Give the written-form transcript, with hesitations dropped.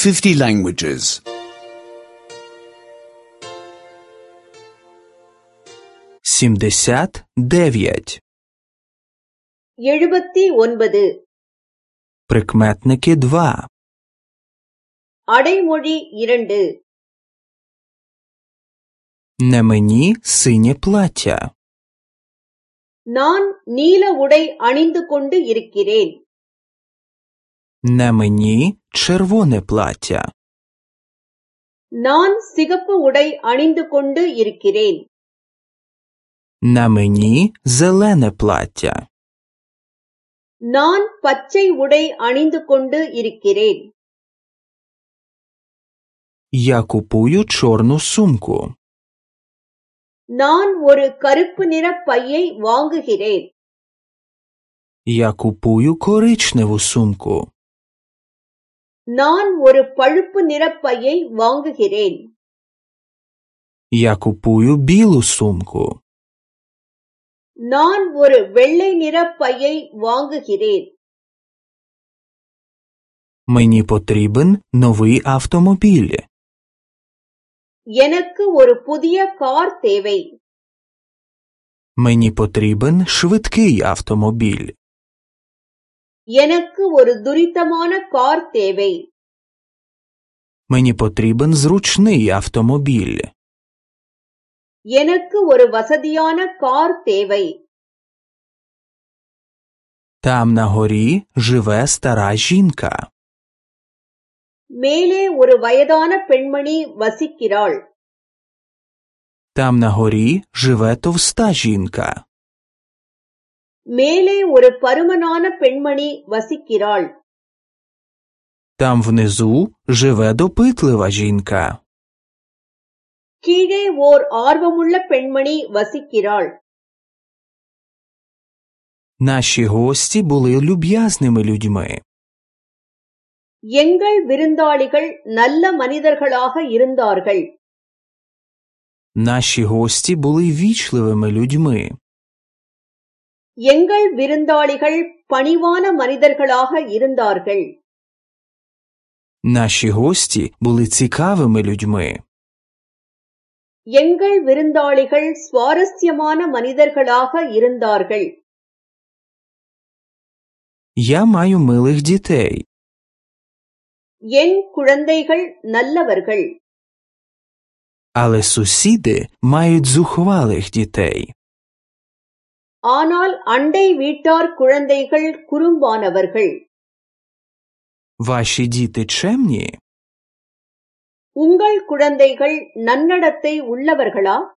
50 languages. 79. 79. Прикметники 2. அடைமொழி 2. Не мені синє плаття. நான் நீல உடை அணிந்து கொண்டு இருக்கிறேன். Не мені червоне плаття. நான் சிகப்பு உடை அணிந்து கொண்டு இருக்கிறேன். Не мені зелене плаття. நான் பச்சை உடை அணிந்து கொண்டு இருக்கிறேன். Я купую чорну сумку. நான் ஒரு கருப்பு நிற பையை வாங்குகிறேன். Я купую коричневу сумку. நான் ஒரு பழுப்பு நிற பையை வாங்குகிறேன். Я купую білу сумку. நான் ஒரு வெள்ளை நிற பையை வாங்குகிறேன். Мені потрібен новий автомобіль. எனக்கு ஒரு புதிய கார் தேவை. Мені потрібен швидкий автомобіль. எனக்கு ஒரு துரிதமான கார் தேவை. Мені потрібен зручний автомобіль. எனக்கு ஒரு வசதியான கார் தேவை. Там на горі живе стара жінка. மேலே ஒரு வயதான பெண்மணி வசிக்கிறாள். Там на горі живе товста жінка. மேலே ஒரு பருமனான பெண்மணி வசிக்கிறாள். Там внизу живе допитлива жінка. கீழே ஓர் ஆர்வமுள்ள பெண்மணி வசிக்கிறாள். Наші гості були люб'язними людьми. எங்கள் விருந்தாளிகள் நல்ல மனிதர்களாக இருந்தார்கள். Наші гості були вічливими людьми. எங்கள் விருந்தாளிகள் பணிவான மனிதர்களாக இருந்தார்கள். Наші гості були цікавими людьми. எங்கள் விருந்தாளிகள் சுவாரஸ்யமான மனிதர்களாக இருந்தார்கள். Я маю милих дітей. என் குழந்தைகள் நல்லவர்கள். Але сусіди мають зухвалих дітей. ஆனால் அண்டை வீட்டார் குழந்தைகள் குறும்பானவர்கள். Ваші діти чемні? உங்கள் குழந்தைகள் நன்னடத்தை உள்ளவர்களா?